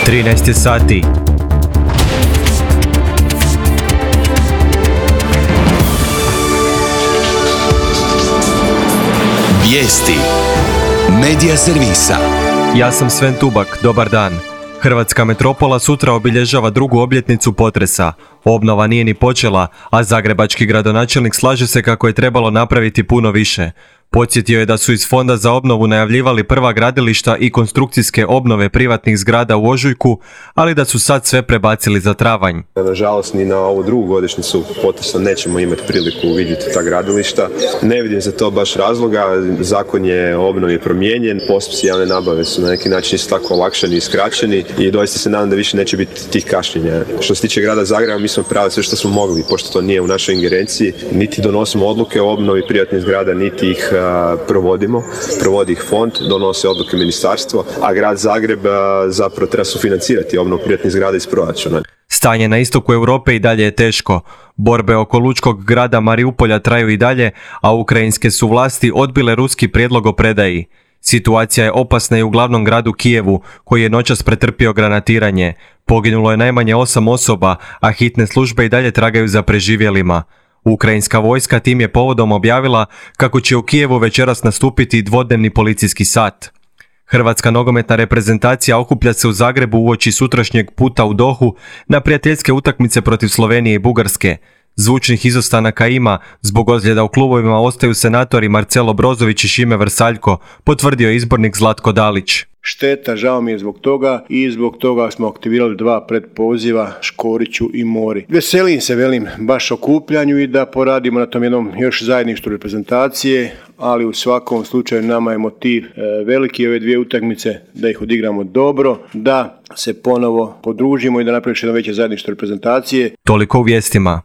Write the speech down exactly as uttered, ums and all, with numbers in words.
trinaest je sati. Vijesti Medija servisa. Ja sam Sven Tubak, dobar dan. Hrvatska metropola sutra obilježava drugu obljetnicu potresa. Obnova nije ni počela, a zagrebački gradonačelnik slaže se kako je trebalo napraviti puno više. Podsjetio je da su iz Fonda za obnovu najavljivali prva gradilišta i konstrukcijske obnove privatnih zgrada u ožujku, ali da su sad sve prebacili za travanj. Nažalost, ni na ovu drugu godišnjicu potresa nećemo imati priliku vidjeti ta gradilišta. Ne vidim za to baš razloga, zakon je o obnovi promijenjen, postupci javne nabave su na neki način isto tako olakšani i skraćeni i doista se nadam da više neće biti tih kašnjenja. Što se tiče grada Zagreba, mi smo pravili sve što smo mogli, pošto to nije u našoj ingerenciji, niti donosimo odluke o obnovi privatnih zgrada, niti ih provodimo, provodi ih fond, donose odluke ministarstvo, a grad Zagreb zapravo treba sufinancirati obnovu privatnih zgrada iz proračuna. Stanje na istoku Europe i dalje je teško. Borbe oko lučkog grada Mariupolja traju i dalje, a ukrajinske su vlasti odbile ruski prijedlog o predaji. Situacija je opasna i u glavnom gradu Kijevu, koji je noćas pretrpio granatiranje. Poginulo je najmanje osam osoba, a hitne službe i dalje tragaju za preživjelima. Ukrajinska vojska tim je povodom objavila kako će u Kijevu večeras nastupiti dvodnevni policijski sat. Hrvatska nogometna reprezentacija okuplja se u Zagrebu uoči sutrašnjeg puta u Dohu na prijateljske utakmice protiv Slovenije i Bugarske. Zvučnih izostanaka ima, zbog ozljeda u klubovima ostaju senatori Marcelo Brozović i Šime Vrsaljko, potvrdio je izbornik Zlatko Dalić. Šteta, žao mi je zbog toga i zbog toga smo aktivirali dva predpoziva Škoriću i Mori. Veselim se, velim, baš okupljanju i da poradimo na tom jednom još zajedništvu reprezentacije, ali u svakom slučaju nama je motiv e, veliki ove dvije utakmice, da ih odigramo dobro, da se ponovo podružimo i da napravimo jedno veće zajedništvo reprezentacije. Toliko u vijestima.